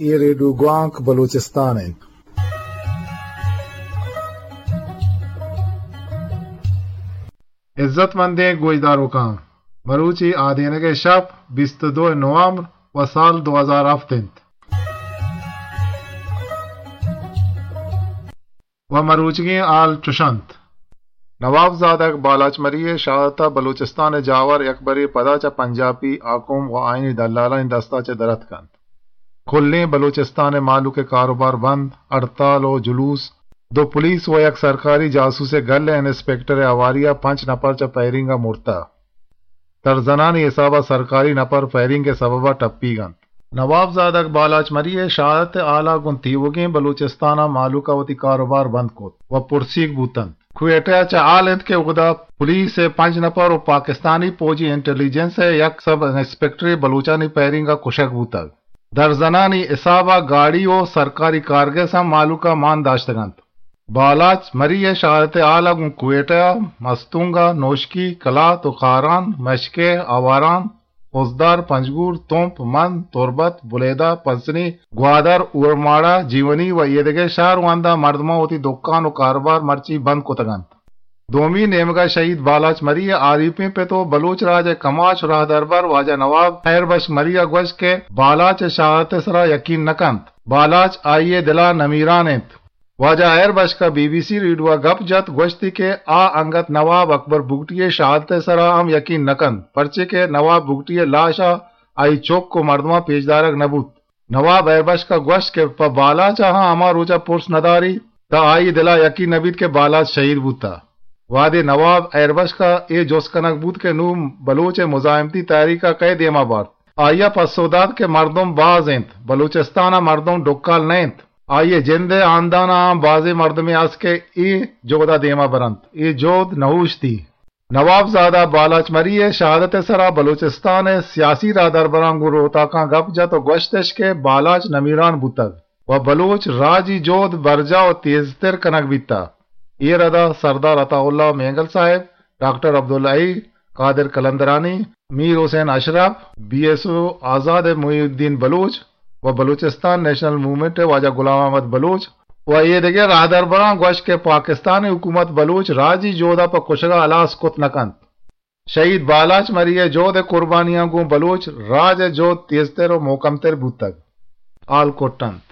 اے ریڈیو گوانک بلوچستان انت۔ عزت مندیں گوشداروکاں، مروچی آدینگ ءِ شپ بیست ءُ دو نومبر ءُ سال دو ہزار ہفت انت۔ ءُ مروچیگیں ہال چش انت۔ نواب زادگ بالاچ مری ءِ شہادت ءَ بلوچستان ءِ جاور یکبرے پدا چہ پنجابی حاکم ءُ آئینی دلالانی دست ءَ چہ در اتک انت۔ کلیں بلوچستان ءِ مہلوک ءِ کاروبار بند، ہڑتال ءُ جلوس، دو پولیس ءُ یک سرکاری جاسوس ءِ گل ءِ انسپکٹر ءِ ہواری ءَ پنچ نپر چہ فائرنگ ءَ مرتہ۔ درزنانی حساب ءَ سرکاری نپر فائرنگ ءِ سبب ءَ ٹپیگ انت۔ نواب زادگ بالاچ مری ءِ شہادت ءِ ہال ءَ گوں تیوگیں بلوچستان ءِ مہلوک ءَ وتی کاروبار بند کت ءُ پرسیگ بوت انت۔ کوئٹہ ءَ چہ ہال انت کہ اودا پولیس ءِ پنچ نپر ءُ پاکستانی پوجی انٹیلیجنس ءِ یک سب انسپکٹرے بلوچانی فائرنگ ءَ کشگ بوتگ۔ درزنانی حساب ءَ گاڑی ءُ سرکاری کارگس ہم مہلوک ءَ مان داشتگ انت۔ بالاچ مری ءِ شہادت ءِ ہال ءَ گوں کوئٹہ، مستونگ، نوشکی، کلات ءُ خاران، مشکے، آواران، خضدار، پنجگور، تمپ، مند، تربت، بلیدہ، پسنی، گوادر، اورماڑہ، جیونی ءُ ایدگہ شہر ءُ ہنداں مردماں وتی دکان ءُ کاروبار مرچی بند کتگ انت۔ دومی نیمگ ءَ شہید بالاچ مری ءِ آریپیں پت ءُ بلوچ راج ءِ کماش ءُ راہدربر واجہ نواب ہیر بخش مری ءَ گوشت کہ بالاچ ءِ شہادت ءِ سرا یقین نہ کنت۔ بالاچ آئی ءِ دل ءَ نمیران انت۔ واجہ ہیر بخش ءَ بی بی سی ریڈیو ءَ گپ جت، گوشتی کہ آ انگت نواب اکبر بگٹی ءِ شہادت ءِ سرا ہم یقین نہ کنت، پرچے کہ نواب بگٹی ءِ لاش ءَ آئی چک ءُ مردماں پیش دارگ نہ بوت۔ نواب ہیر بخش ءَ گوشت کہ پہ بالاچ ءَ ہم ہما روچ ءَ پرس نہ داریت، تاں آئی ءِ دل ءَ یقین نہ بیت کہ بالاچ شہید بوتہ۔ وہدے نواب ہیر بخش ءَ اے جست کنگ بوت کہ نوں بلوچ ءِ مزاحمتی تحریک ءَ کئے دیم ءَ بارت؟ آئی ءَ پسو دات کہ مردم باز انت، بلوچستان ءَ مردم ڈکال نہ انت۔ آئی ءِ جند ءِ ہاندان ءَ ہم بازیں مردمے است کہ اے جہد ءَ دیم ءَ برنت۔ اے جہد نہ اوشتی۔ نواب زادہ بالاچ مری ءِ شہادت ءِ سرا بلوچستان ءِ سیاسی راہدربراں گوں روتاکاں گپ جت ءُ گوشتش کہ بالاچ نمیران بوتگ ءُ بلوچ راجی جہد برجاہ ءُ تیزتر کنگ بیتہ۔ اے رد ءَ سردار عطا اللہ مینگل صاحب، ڈاکٹر عبدالحی، قادر قلندرانی، میر حسین اشرف، بی ایس او آزاد محی الدین بلوچ ءُ بلوچستان نیشنل موومنٹ ءِ واجہ غلام احمد بلوچ ءُ اے دگہ راہدربراں گوشت کہ پاکستانی حکومت بلوچ راجی جہد ءَ پہ کشگ ءَ ہلاس کت نہ کنت۔ شہید بالاچ مری ءِ جہد ءِ قربانیاں گوں بلوچ راج ءِ جہد تیزتر ءُ محکمتر بوتگ۔ ہال کٹ انت۔